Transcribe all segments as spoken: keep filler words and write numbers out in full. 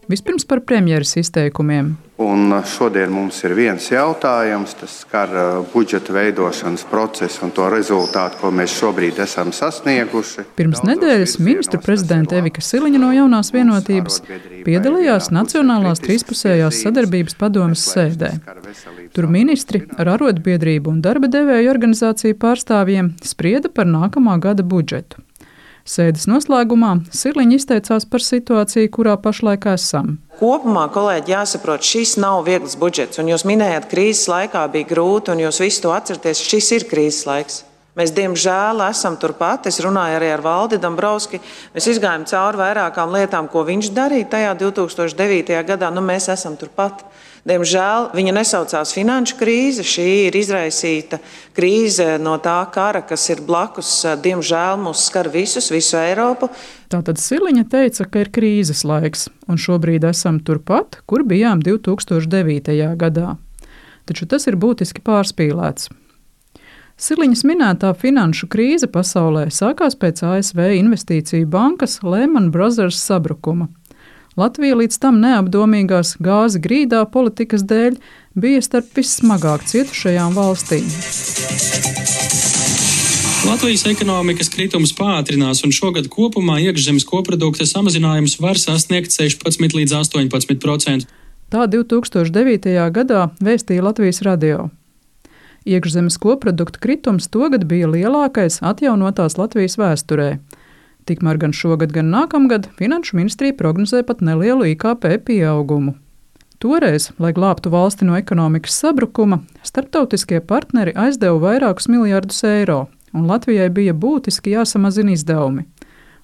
Vispirms par premjeras izteikumiem. Un šodien mums ir viens jautājums, tas skar budžeta veidošanas procesu un to rezultātu, ko mēs šobrīd esam sasnieguši. Pirms nedēļas ministru prezidente Evika Siliņa no Jaunās vienotības piedalījās Nacionālās trīspusējās sadarbības padomes sēdē. Tur ministri ar arotbiedrību un darba devēju organizāciju pārstāvjiem sprieda par nākamā gada budžetu. Sēdes noslēgumā Siliņa izteicās par situāciju, kurā pašlaik esam. Kopumā, kolēģi, jāsaprot, šis nav viegls budžets, un jūs minējat, krīzes laikā bija grūti, un jūs visi to atceraties, šis ir krīzes laiks. Mēs, diemžēl, esam turpat. Es runāju arī ar Valdi Dombrovski. Mēs izgājām cauri vairākām lietām, ko viņš darīja tajā divi tūkstoši devītajā gadā. Nu, mēs esam turpat. Diemžēl viņa nesaucās finanšu krīze. Šī ir izraisīta krīze no tā kara, kas ir blakus. Diemžēl mūs skar visus, visu Eiropu. Tātad Siliņa teica, ka ir krīzes laiks, un šobrīd esam turpat, kur bijām divi tūkstoši devītajā gadā. Taču tas ir būtiski pārspīlēts. Siliņas minētā finanšu krīze pasaulē sākās pēc A S V investīciju bankas Lehman Brothers sabrukuma. Latvija līdz tam neapdomīgās gāzi grīdā politikas dēļ bija starp vissmagāk cietušajām valstīm. Latvijas ekonomikas kritums pātrinās, un šogad kopumā iekšzemes koprodukta samazinājums var sasniegt sešpadsmit līdz astoņpadsmit procenti. Tā divi tūkstoši devītajā gadā vēstīja Latvijas radio. Iekšzemes koprodukta kritums togad bija lielākais atjaunotās Latvijas vēsturē. Tikmēr gan šogad, gan nākamgad Finanšu ministrija prognozē pat nelielu I K P pieaugumu. Toreiz, lai glābtu valsti no ekonomikas sabrukuma, starptautiskie partneri aizdeva vairākus miljardus eiro, un Latvijai bija būtiski jāsamazina izdevumi.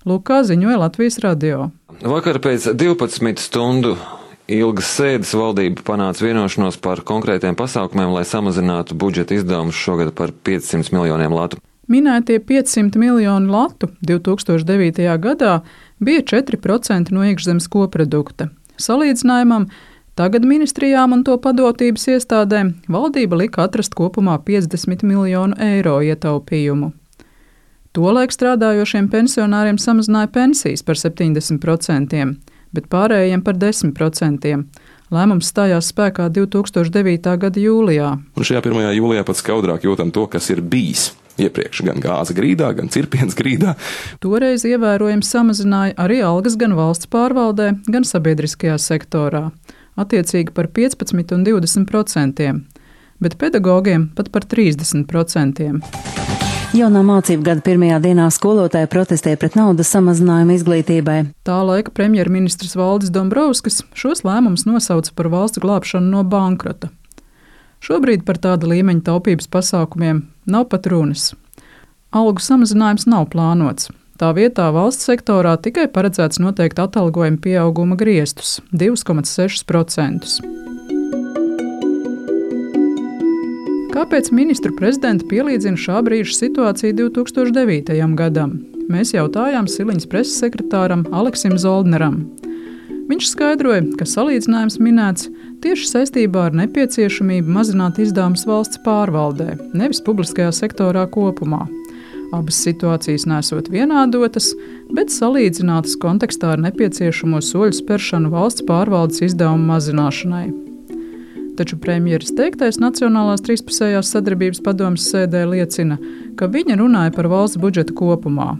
Lūk, kā ziņoja Latvijas radio. Vakar pēc divpadsmit stundu ilgas sēdes valdība panāca vienošanos par konkrētiem pasākumiem, lai samazinātu budžeta izdevumus šogad par piecsimt miljoniem latu. Minētie piecsimt miljoni latu divi tūkstoši devītajā gadā bija četri procenti no iekšzemes koprodukta. Salīdzinājumam, tagad ministrijām un to padotības iestādēm valdība lika atrast kopumā piecdesmit miljonu eiro ietaupījumu. Tolaik strādājošiem pensionāriem samazināja pensijas par septiņdesmit procentiem, bet pārējiem par desmit procentiem. Lēmums stājās spēkā divi tūkstoši devītā gada jūlijā. Un šajā pirmajā jūlijā pat skaudrāk jūtam to, kas ir bijis iepriekš gan gāze grīdā, gan cirpiens grīdā. Toreiz ievērojami samazināja arī algas gan valsts pārvaldē, gan sabiedriskajā sektorā, attiecīgi par piecpadsmit un divdesmit procentiem, bet pedagogiem pat par trīsdesmit procentiem. Jaunā mācību gada pirmajā dienā skolotāji protestēja pret naudas samazinājumu izglītībai. Tā laika premjerministrs Valdis Dombrovskis šos lēmumus nosauca par valsts glābšanu no bankrota. Šobrīd par tāda līmeņa taupības pasākumiem nav pat runas. Algu samazinājums nav plānots. Tā vietā valsts sektorā tikai paredzēts noteikt atalgojuma pieauguma griestus – divi komats seši procenti. Kāpēc ministru prezidenta pielīdzina šā brīža situāciju divi tūkstoši devītajam gadam? Mēs jautājām Siliņas preses sekretāram Aleksim Zoldneram. Viņš skaidroja, ka salīdzinājums minēts tieši saistībā ar nepieciešamību mazināt izdevumus valsts pārvaldē, nevis publiskajā sektorā kopumā. Abas situācijas nesot vienādotas, bet salīdzinātas kontekstā ar nepieciešamo soļu spēršanu valsts pārvaldes izdevumu mazināšanai. Taču premjeras teiktais Nacionālās trīspusējās sadarbības padomes sēdē liecina, ka viņa runāja par valsts budžetu kopumā.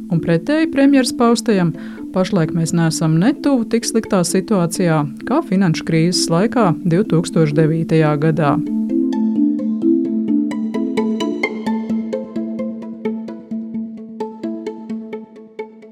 Un pretēji premjeras paustajam, pašlaik mēs neesam ne tuvu tik sliktā situācijā kā finanšu krīzes laikā divi tūkstoši devītajā gadā.